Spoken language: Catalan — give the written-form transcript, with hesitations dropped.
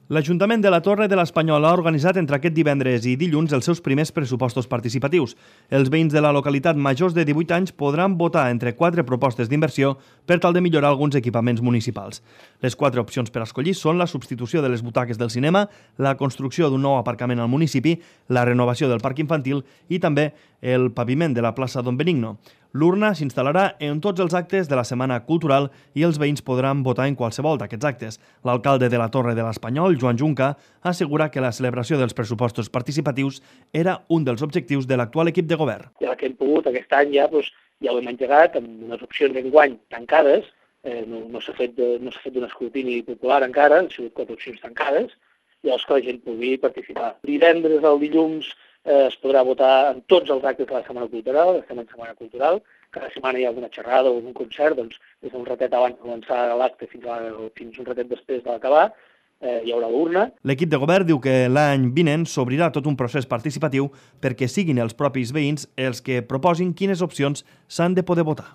L'Ajuntament de la Torre de l'Espanyol ha organitzat entre aquest divendres i dilluns els seus primers pressupostos participatius. Els veïns de la localitat majors de 18 anys podran votar entre 4 propostes d'inversió per tal de millorar alguns equipaments municipals. Les 4 opcions per escollir són la substitució de les butaques del cinema, la construcció d'un nou aparcament al municipi, la renovació del parc infantil i també el paviment de la plaça Don Benigno. L'urna s'instal·larà en tots els actes de la Setmana Cultural i els veïns podran votar en qualsevol d'aquests actes. L'alcalde de la Torre de l'Espanyol, Joan Junca, assegura que la celebració dels pressupostos participatius era un dels objectius de l'actual equip de govern. Ja que hem pogut aquest any ja ho hem engegat amb unes opcions d'enguany tancades, no s'ha fet un escrutini popular encara, han sigut 4 opcions tancades, llavors que la gent pugui participar. Divendres al dilluns es podrà votar en tots els actes de la Setmana Cultural, estem en Setmana Cultural, cada setmana hi ha alguna xerrada o algun concert, doncs des d'un ratet abans de començar l'acte fins un ratet després de l'acabar, hi haurà l'urna. L'equip de govern diu que l'any vinent s'obrirà tot un procés participatiu perquè siguin els propis veïns els que proposin quines opcions s'han de poder votar.